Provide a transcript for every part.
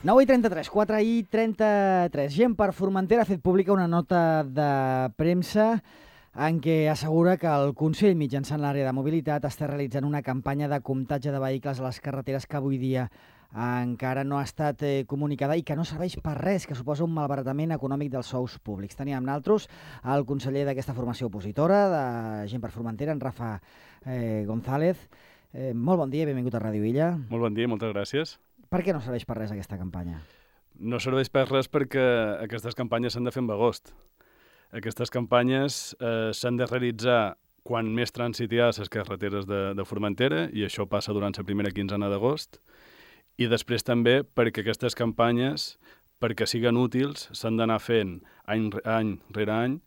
9:33, 4:33. Gent per Formentera ha fet pública una nota de premsa en què assegura que el Consell, mitjançant l'àrea de mobilitat, està realitzant una campanya de comptatge de vehicles a les carreteres que avui dia encara no ha estat comunicada i que no serveix per res, que suposa un malbaratament econòmic dels sous públics. Teníem amb nosaltres el conseller d'aquesta formació opositora, de Gent per Formentera, en Rafa González. Molt bon dia i benvingut a Ràdio Illa. Molt bon dia, moltes gràcies. Per què no serveix per res aquesta campanya? No serveix per res perquè aquestes campanyes s'han de fer en agost. Aquestes campanyes s'han de realitzar quan més trànsit hi ha a les carreteres de Formentera, i això passa durant la primera quinzena d'agost. I després també perquè aquestes campanyes, perquè siguen útils, s'han d'anar fent any rere any,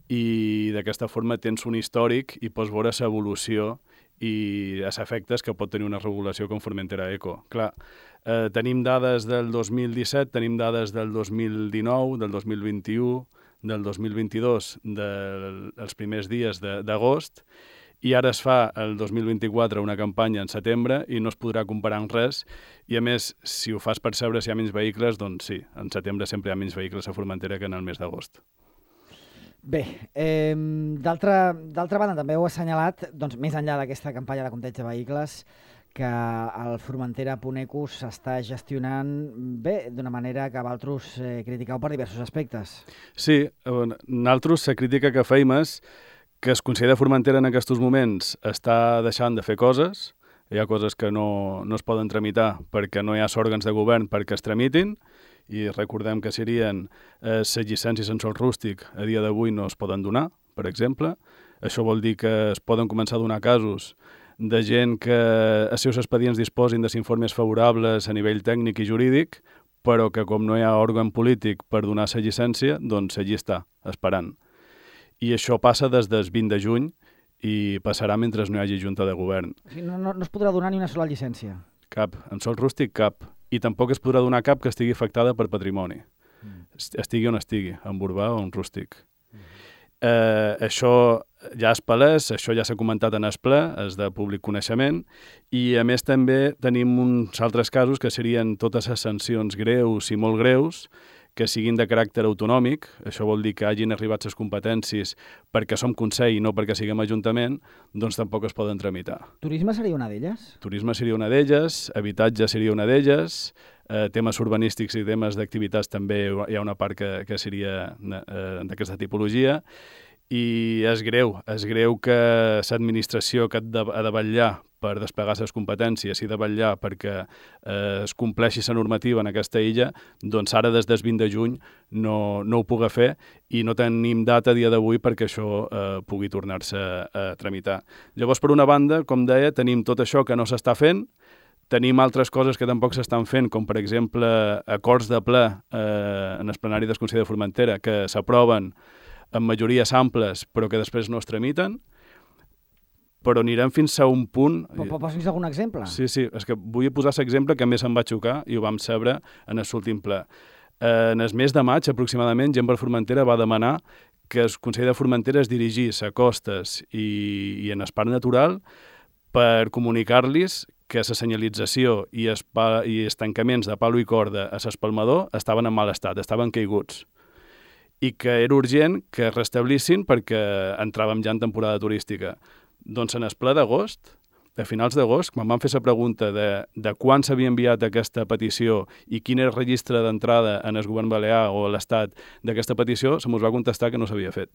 i d'aquesta forma tens un històric i pots veure l'evolució i els efectes que pot tenir una regulació com Formentera Eco. Clar, tenim dades del 2017, tenim dades del 2019, del 2021, del 2022, dels primers dies d'agost, i ara es fa el 2024 una campanya en setembre i no es podrà comparar amb res, i a més, si ho fas percebre si hi ha menys vehicles, doncs sí, en setembre sempre hi ha menys vehicles a Formentera que en el mes d'agost. Bé, d'altra banda també heu assenyalat, doncs, més enllà d'aquesta campanya de compteig de vehicles, que el Formentera.eco s'està gestionant bé, d'una manera que vosaltres critiqueu per diversos aspectes. Sí, nosaltres la crítica que feim és que el Consell de Formentera en aquests moments està deixant de fer coses, hi ha coses que no es poden tramitar perquè no hi ha òrgans de govern perquè es tramitin, i recordem que serien les llicències en sòl rústic a dia d'avui no es poden donar, per exemple. Això vol dir que es poden començar a donar casos de gent que els seus expedients disposin de informes favorables a nivell tècnic i jurídic, però que com no hi ha òrgan polític per donar la llicència, doncs allí està, esperant. I això passa des del 20 de juny i passarà mentre no hi hagi junta de govern. O sigui, no es podrà donar ni una sola llicència? Cap. En sòl rústic, cap. I tampoc es podrà donar cap que estigui afectada per patrimoni. Estigui on estigui, en urbà o en rústic. Això ja és palès, això ja s'ha comentat en el ple, és de públic coneixement, i a més també tenim uns altres casos que serien totes les sancions greus i molt greus, que siguin de caràcter autonòmic, això vol dir que hagin arribat les competències perquè som Consell i no perquè siguem Ajuntament, doncs tampoc es poden tramitar. Turisme seria una d'elles? Turisme seria una d'elles, habitatge seria una d'elles, temes urbanístics i temes d'activitats també hi ha una part que seria d'aquesta tipologia, i és greu que l'administració que ha de vetllar per desplegar les competències i de vetllar perquè es compleixi la normativa en aquesta illa, doncs ara des del 20 de juny no ho pugui fer i no tenim data a dia d'avui perquè això pugui tornar-se a tramitar. Llavors, per una banda, com deia, tenim tot això que no s'està fent, tenim altres coses que tampoc s'estan fent, com per exemple acords de ple en el plenari del Consell de Formentera que s'aproven amb majories amples però que després no es tramiten, però anirem fins a un punt... Pots dir algun exemple? Sí, és que vull posar l'exemple que més em va xocar i ho vam saber en l'últim ple. En el mes de maig, aproximadament, Gent per Formentera va demanar que el Consell de Formentera es dirigís a costes i en el parc natural per comunicar-los que la senyalització i els tancaments de palo i corda a l'espalmador estaven en mal estat, estaven caiguts, i que era urgent que es restablissin perquè entràvem ja en temporada turística. Doncs en el ple d'agost, a finals d'agost, quan vam fer la pregunta de quan s'havia enviat aquesta petició i quin era el registre d'entrada en el govern balear o a l'Estat d'aquesta petició, se mos va contestar que no s'havia fet.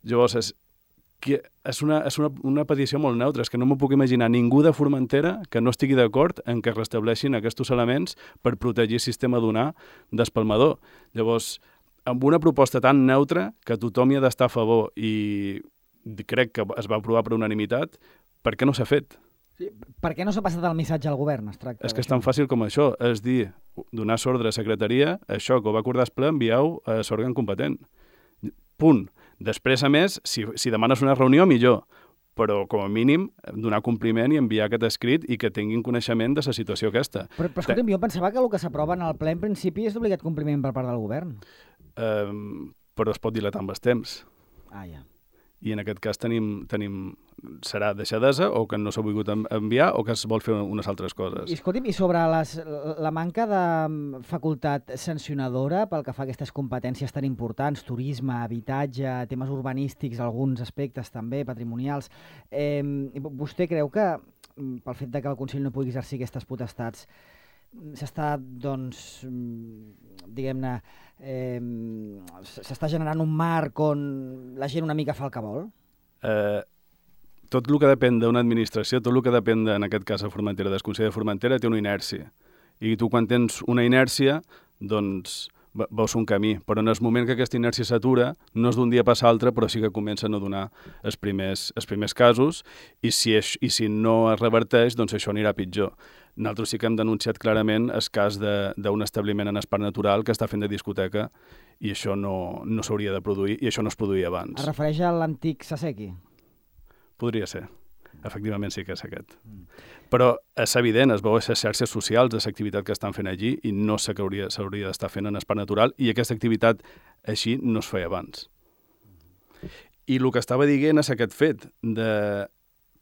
Llavors, és una petició molt neutra, és que no m'ho puc imaginar ningú de Formentera que no estigui d'acord en que es restableixin aquests elements per protegir el sistema dunar d'espalmador. Llavors, amb una proposta tan neutra que tothom hi ha d'estar a favor i crec que es va aprovar per unanimitat, per què no s'ha fet? Sí, per què no s'ha passat el missatge al govern? És que és tan fàcil com això, és dir, donar l'ordre a secretaria, això que ho va acordar el ple, envieu a l'òrgan competent. Punt. Després, a més, si demanes una reunió, millor, però com a mínim donar compliment i enviar aquest escrit i que tinguin coneixement de la situació aquesta. Però escolta'm, jo pensava que el que s'aprova en el ple en principi és d'obligat compliment per part del govern. Però es pot dilatar amb el temps. Ah, ja. i en aquest cas serà deixadesa o que no s'ha volgut enviar o que es vol fer unes altres coses. I escolti'm, i sobre la manca de facultat sancionadora pel que fa a aquestes competències tan importants, turisme, habitatge, temes urbanístics, alguns aspectes també, patrimonials, vostè creu que pel fet de que el Consell no pugui exercir aquestes potestats s'està, doncs, diguem-ne, s'està generant un marc on la gent una mica fa el que vol? Tot el que depèn d'una administració, tot el que depèn, en aquest cas, de Formentera, del Consell de Formentera, té una inèrcia. I tu, quan tens una inèrcia, doncs veus un camí. Però en el moment que aquesta inèrcia s'atura, no és d'un dia per l'altre, però sí que comencen a donar els primers casos, i si no es reverteix, doncs això anirà pitjor. Nosaltres sí que hem denunciat clarament el cas d'un establiment en el Parc Natural que està fent de discoteca, i això no s'hauria de produir, i això no es produïa abans. Es refereix a l'antic Sasequi? Podria ser. Efectivament sí que és aquest. Però és evident, es veu a les xarxes socials de l'activitat que estan fent allí i no sé què s'hauria d'estar fent en el Parc Natural, i aquesta activitat així no es feia abans. I el que estava dient és aquest fet de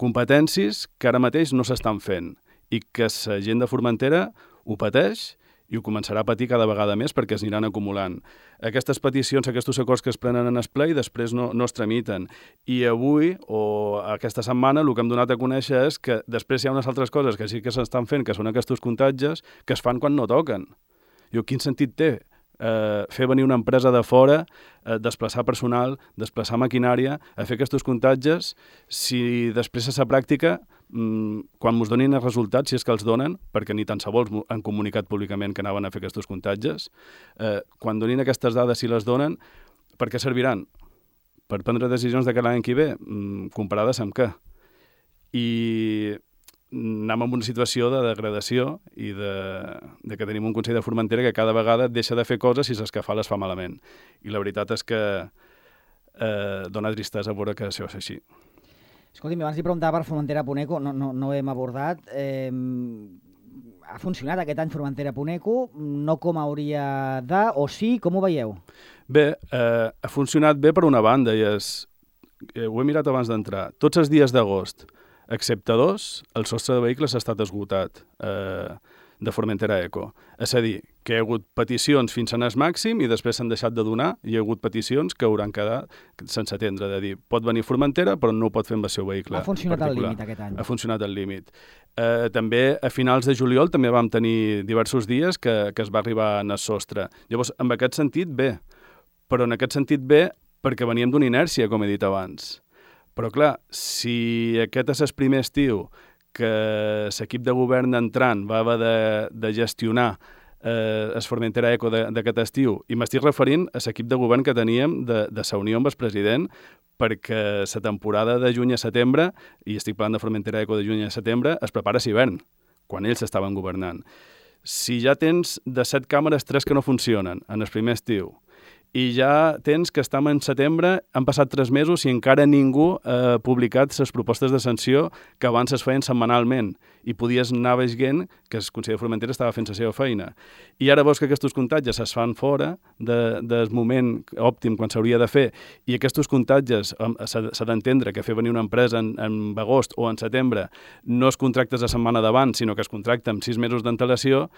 competències que ara mateix no s'estan fent i que la gent de Formentera ho pateix i ho començarà a patir cada vegada més perquè es aniran acumulant. Aquestes peticions, aquests acords que es prenen en el ple i després no es tramiten. I avui, o aquesta setmana, el que hem donat a conèixer és que després hi ha unes altres coses que sí que s'estan fent, que són aquests comptatges, que es fan quan no toquen. Quin sentit té fer venir una empresa de fora, desplaçar personal, desplaçar maquinària, a fer aquests comptatges, si després a la pràctica, quan ens donin els resultats, si és que els donen, perquè ni tan sols han comunicat públicament que anaven a fer aquests comptatges, quan donin aquestes dades, si les donen, per què serviran? Per prendre decisions de cara l'any que ve? Comparades amb què? I anem en una situació de degradació i de que tenim un Consell de Formentera que cada vegada deixa de fer coses i les que fa les fa malament. I la veritat és que dona tristesa veure que això és així. Escolti'm, abans li preguntava per Formentera-Puneco, no ho hem abordat. Ha funcionat aquest any Formentera-Puneco, no com hauria de, o sí, com ho veieu? Bé, ha funcionat bé per una banda, i ho he mirat abans d'entrar. Tots els dies d'agost, excepte 2, el sostre de vehicles ha estat esgotat de Formentera Eco. És a dir, que hi ha hagut peticions fins en el màxim i després s'han deixat de donar, i hi ha hagut peticions que hauran quedat sense atendre, de dir, pot venir Formentera però no ho pot fer amb el seu vehicle particular. Ha funcionat al límit aquest any. Ha funcionat al límit. També a finals de juliol també vam tenir diversos dies que es va arribar en el sostre. Llavors, en aquest sentit, bé. Però en aquest sentit bé perquè veníem d'una inèrcia, com he dit abans. Però clar, si aquest és el primer estiu que l'equip de govern entrant va haver de gestionar el Formentera Eco d'aquest estiu, i m'estic referint a l'equip de govern que teníem de la Unió amb el president, perquè la temporada de juny a setembre, i estic parlant de Formentera Eco de juny a setembre, es prepara a l'hivern, quan ells estaven governant. Si ja tens de 7 càmeres 3 que no funcionen en el primer estiu, i ja tens que estem en setembre, han passat 3 mesos i encara ningú ha publicat les propostes de sanció que abans es feien setmanalment, i podies anar veient que el Consell de Formentera estava fent la seva feina. I ara veus que aquests comptatges es fan fora del moment òptim quan s'hauria de fer, i aquests comptatges s'ha d'entendre que fer venir una empresa en agost o en setembre no es contractes la setmana d'abans, sinó que es contracta amb 6 mesos d'antelació,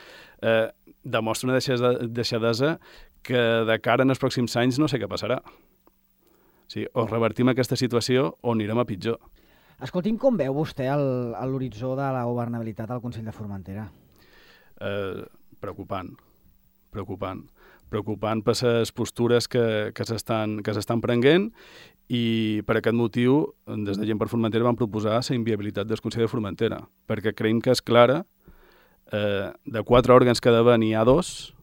demostra una deixadesa que de cara en els pròxims anys no sé què passarà. Sí, o revertim aquesta situació o anirem a pitjor. Escolti'm, com veu vostè l'horitzó de la governabilitat al Consell de Formentera? Preocupant per les postures que s'estan prenent, i per aquest motiu, des de Gent per Formentera vam proposar la inviabilitat del Consell de Formentera, perquè creiem que és clara. De 4 òrgans que ha d'haver n'hi ha 2,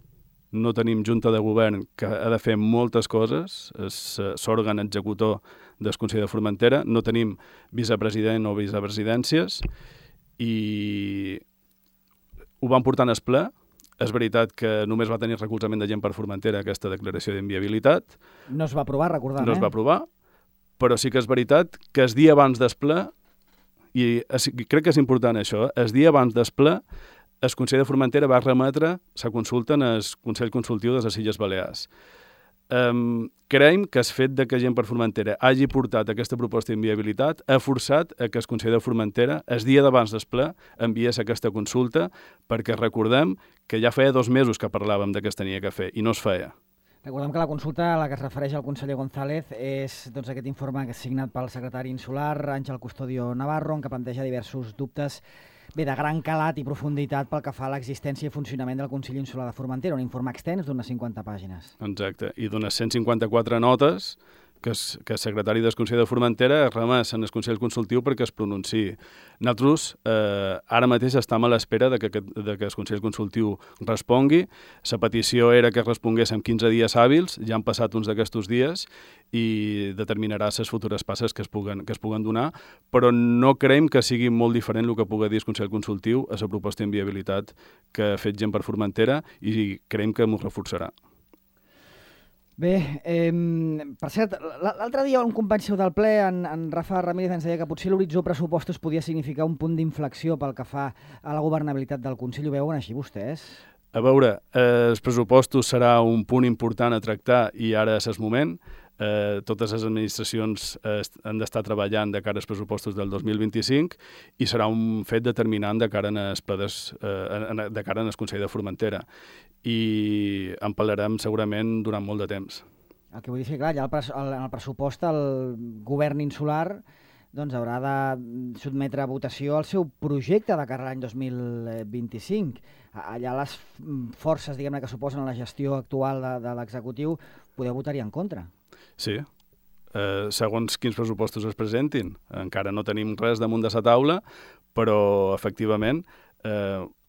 no tenim junta de govern que ha de fer moltes coses, és l'òrgan executor del Consell de Formentera, no tenim vicepresident o vicepresidències, i ho vam portar en el ple. És veritat que només va tenir recolzament de Gent per Formentera aquesta declaració d'inviabilitat. No es va aprovar, recordem, No es va aprovar, però sí que és veritat que el dia abans del ple, i crec que és important això, el dia abans del ple, el Consell de Formentera va remetre la consulta en el Consell Consultiu de les Illes Balears. Creiem que el fet que Gent per Formentera hagi portat aquesta proposta d'inviabilitat ha forçat a que el Consell de Formentera, el dia d'abans del ple, enviés aquesta consulta, perquè recordem que ja feia 2 mesos que parlàvem de que es tenia que fer i no es feia. Recordem que la consulta a la que es refereix el conseller González és aquest informe que és signat pel secretari insular Àngel Custodio Navarro, en què planteja diversos dubtes de gran calat i profunditat pel que fa a l'existència i funcionament del Consell Insular de Formentera, un informe extens d'unes 50 pàgines. Exacte, i d'unes 154 notes que el secretari del Consell de Formentera ha remès en el Consell Consultiu perquè es pronunciï. Nosaltres ara mateix estem a l'espera de que el Consell Consultiu respongui. La petició era que respongués en 15 dies hàbils, ja han passat uns d'aquests dies i determinarà les futures passes que es puguen donar, però no creiem que sigui molt diferent el que pugui dir el Consell Consultiu a la proposta d'inviabilitat que ha fet Gent per Formentera i creiem que m'ho reforçarà. Bé, per cert, l'altre dia un company seu del ple, en Rafa Ramírez, ens deia que potser l'horitzó pressupostos podia significar un punt d'inflexió pel que fa a la governabilitat del Consell. Ho veuen així vostès? A veure, els pressupostos serà un punt important a tractar i ara és el moment. Totes les administracions han d'estar treballant de cara als pressupostos del 2025 i serà un fet determinant de cara al Consell de Formentera. I en parlarem segurament durant molt de temps. El que vull dir és que, clar, ja en el pressupost el govern insular haurà de sotmetre a votació el seu projecte de cara a l'any 2025. Allà les forces, diguem-ne, que suposen la gestió actual de l'executiu, podeu votar-hi en contra. Sí, segons quins pressupostos es presentin. Encara no tenim res damunt de la taula, però efectivament,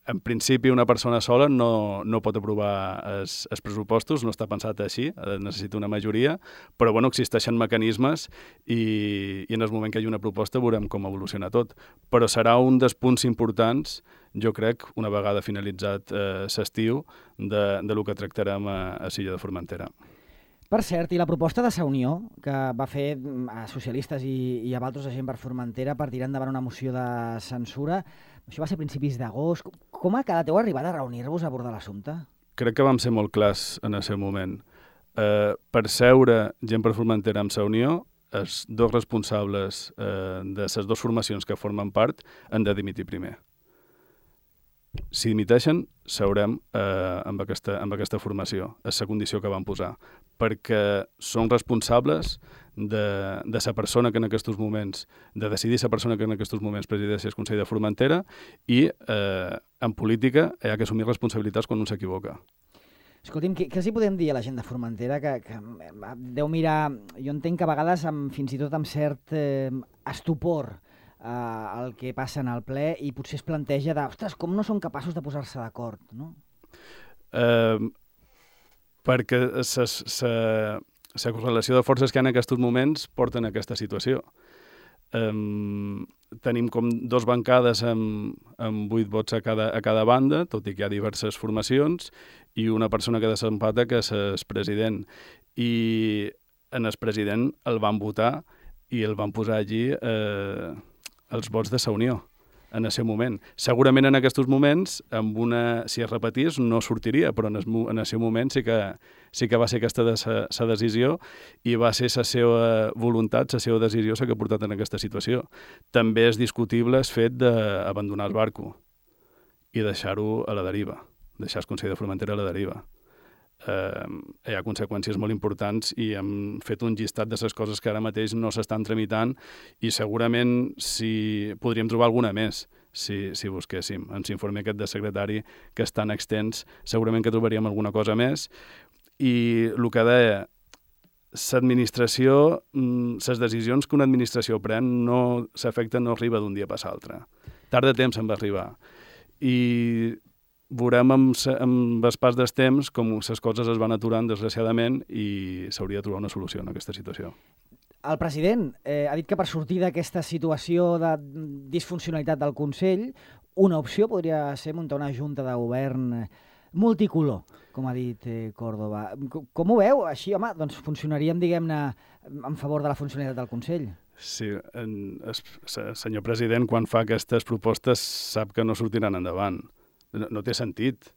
en principi una persona sola no pot aprovar els pressupostos, no està pensat així, necessita una majoria, però bueno, existeixen mecanismes i en el moment que hi hagi una proposta veurem com evoluciona tot. Però serà un dels punts importants, jo crec, una vegada finalitzat l'estiu, de lo que tractarem a l'illa de Formentera. Per cert, i la proposta de Sa Unió, que va fer a socialistes i a altres Gent per Formentera per tirar endavant una moció de censura, això va ser a principis d'agost. Com ha quedat? Heu arribat a reunir-vos a abordar l'assumpte? Crec que vam ser molt clars en el seu moment. Per seure Gent per Formentera amb Sa Unió, els dos responsables de les dues formacions que formen part han de dimitir primer. Si dimiteixen, seurem amb aquesta formació. És la condició que van posar. Perquè són responsables de la persona que en aquests moments, de decidir la persona que en aquests moments presideix el Consell de Formentera i en política hi ha que assumir responsabilitats quan un s'equivoca. Escolti'm, què els hi podem dir a la gent de Formentera que deu mirar, jo entenc que a vegades fins i tot amb cert estupor el que passa en el ple i potser es planteja ostres, com no són capaços de posar-se d'acord, no? Perquè la correlació de forces que hi ha en aquests moments porten a aquesta situació. Tenim com 2 bancades amb 8 vots a cada banda, tot i que hi ha diverses formacions, i una persona que desempata, que és el president. I en el president el van votar i el van posar allí els vots de Sa Unió en el seu moment. Segurament en aquests moments, si es repetís, no sortiria, però en el seu moment sí que va ser aquesta la decisió i va ser la seva voluntat, la seva decisió la que ha portat en aquesta situació. També és discutible el fet d'abandonar el barco i deixar-ho a la deriva, deixar el Consell de Formentera a la deriva. Hi ha conseqüències molt importants i hem fet un llistat de les coses que ara mateix no s'estan tramitant i segurament podríem trobar alguna més si busquéssim. Ens informe aquest de secretari que és tan extens, segurament que trobaríem alguna cosa més. I el que deia, l'administració, les decisions que una administració pren s'afecten, no arriba d'un dia per l'altre. Tard de temps se'n va arribar. I veurem amb el pas del temps com les coses es van aturant desgraciadament i s'hauria de trobar una solució en aquesta situació. El president ha dit que per sortir d'aquesta situació de disfuncionalitat del Consell, una opció podria ser muntar una junta de govern multicolor, com ha dit Córdoba. Com ho veu? Així, home, doncs funcionaríem, diguem-ne, en favor de la funcionalitat del Consell. Sí, el senyor president, quan fa aquestes propostes, sap que no sortiran endavant. No té sentit.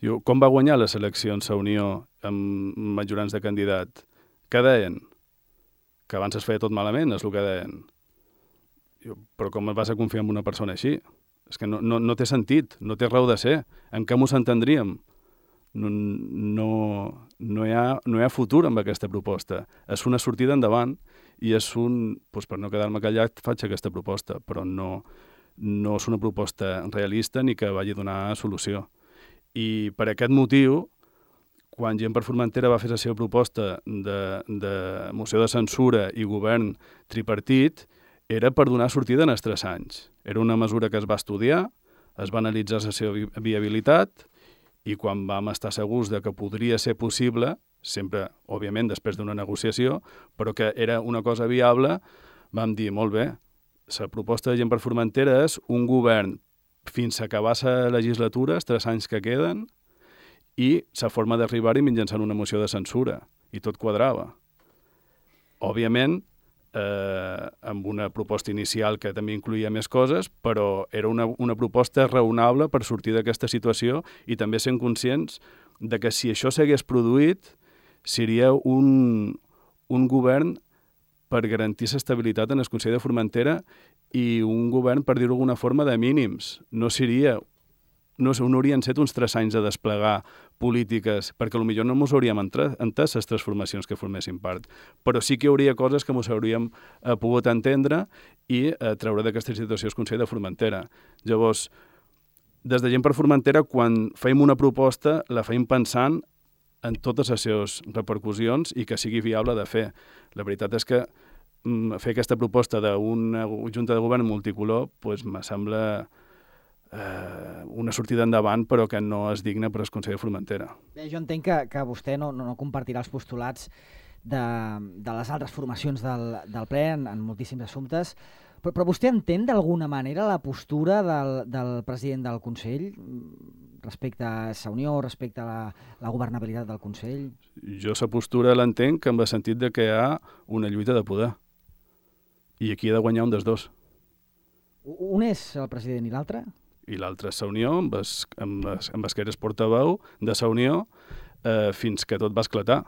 Com va guanyar les eleccions a Unió amb majorants de candidat? Què deien? Que abans es feia tot malament, és el que deien. Però com vas a confiar en una persona així? És que no té sentit, no té raó de ser. En què m'ho s'entendríem? No hi ha futur amb aquesta proposta. És una sortida endavant i és per no quedar-me callat, faig aquesta proposta, però no és una proposta realista ni que vagi a donar solució. I per aquest motiu, quan Gent per Formentera va fer la seva proposta de moció de censura i govern tripartit, era per donar sortida en els 3 anys. Era una mesura que es va estudiar, es va analitzar la seva viabilitat i quan vam estar segurs de que podria ser possible, sempre, òbviament, després d'una negociació, però que era una cosa viable, vam dir, molt bé, la proposta de Gent per Formentera és un govern fins a acabar la legislatura, els 3 anys que queden, i la forma d'arribar-hi mitjançant una moció de censura. I tot quadrava. Òbviament, amb una proposta inicial que també incluïa més coses, però era una proposta raonable per sortir d'aquesta situació i també sent conscients de que si això s'hagués produït, seria un govern per garantir l'estabilitat en el Consell de Formentera i un govern, per dir-ho d'alguna forma, de mínims. No haurien estat uns 3 anys de desplegar polítiques, perquè potser no ens hauríem entès les transformacions que formessin part. Però sí que hi hauria coses que ens hauríem pogut entendre i treure d'aquesta situació el Consell de Formentera. Llavors, des de Gent per Formentera, quan feim una proposta, la feim pensant en totes les seves repercussions i que sigui viable de fer. La veritat és que fer aquesta proposta d'una junta de govern multicolor me sembla una sortida endavant, però que no és digna per al Consell de Formentera. Bé, jo entenc que vostè no compartirà els postulats de les altres formacions del ple en moltíssims assumptes, però vostè entén d'alguna manera la postura del president del Consell respecte a la Unió, respecte a la governabilitat del Consell? Jo la postura l'entenc en el sentit de que hi ha una lluita de poder. I aquí ha de guanyar un dels dos. Un és el president i l'altre? I l'altre és la Unió, amb el que eres portaveu de la Unió, fins que tot va esclatar.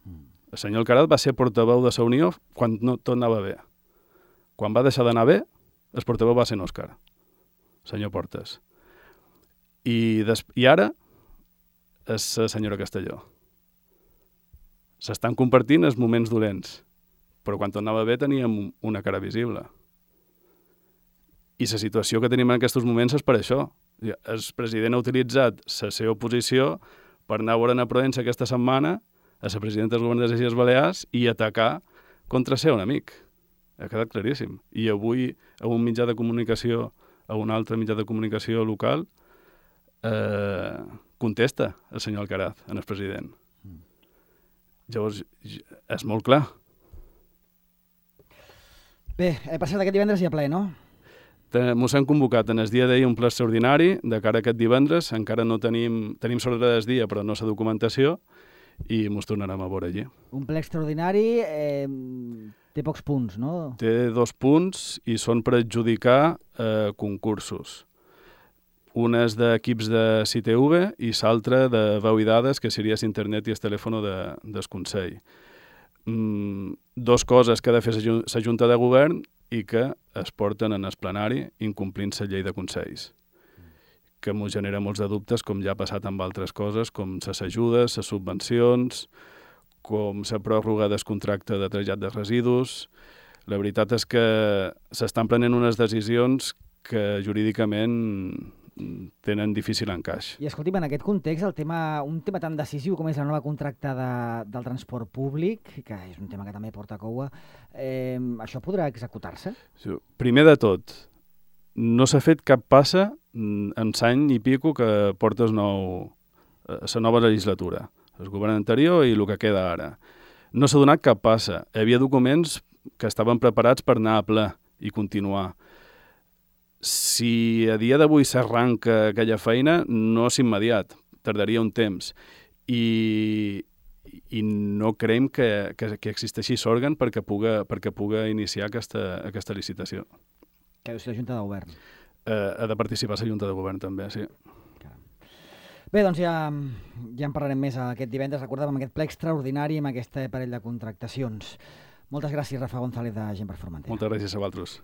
El senyor Alcaraz va ser portaveu de la Unió quan tot anava bé. Quan va deixar d'anar bé, el portaveu va ser en Òscar, senyor Portes. I ara és la senyora Castelló. S'estan compartint els moments dolents, però quan tot anava bé teníem una cara visible. I la situació que tenim en aquests moments és per això. El president ha utilitzat la seva posició per anar a veure a Provença aquesta setmana a la presidenta del govern de les Illes Balears i atacar contra ser un amic. Ha quedat claríssim. I avui a un mitjà de comunicació, a un altre mitjà de comunicació local, contesta el senyor Alcaraz, en el president. Llavors, és molt clar. Bé, per cert, aquest divendres hi ha ple, no? Mos han convocat en el dia d'ahir un ple extraordinari de cara a aquest divendres. Encara no tenim sobre del dia, però no la documentació, i mos tornarem a veure allí. Un ple extraordinari té pocs punts, no? Té 2 punts i són per adjudicar concursos. Un és d'equips de CITV i l'altre de veu i dades, que seria l'internet i el telèfon del Consell. 2 coses que ha de fer la Junta de Govern i que es porten en el plenari incomplint la llei de Consells, que ens genera molts de dubtes, com ja ha passat amb altres coses, com les ajudes, les subvencions, com la pròrroga del contracte de trasllat de residus. La veritat és que s'estan prenent unes decisions que jurídicament tenen difícil encaix. I escolti'm, en aquest context, un tema tan decisiu com és la nova contracta del transport públic, que és un tema que també porta coua, això podrà executar-se? Primer de tot, no s'ha fet cap passa en l'any i pico que porta la nova legislatura, el govern anterior i el que queda ara. No s'ha donat cap passa. Hi havia documents que estaven preparats per anar a ple i continuar. Si a dia d'avui s'arranca aquella feina, no és immediat, tardaria un temps. I no creiem que existeixi l'òrgan perquè puga iniciar aquesta licitació. Que deu ser la Junta de Govern. Ha de participar la Junta de Govern també, sí. Bé, doncs ja en parlarem més aquest divendres. Recordem amb aquest ple extraordinari, amb aquest parell de contractacions. Moltes gràcies, Rafa González, de Gent per Formentera. Moltes gràcies a vosaltres.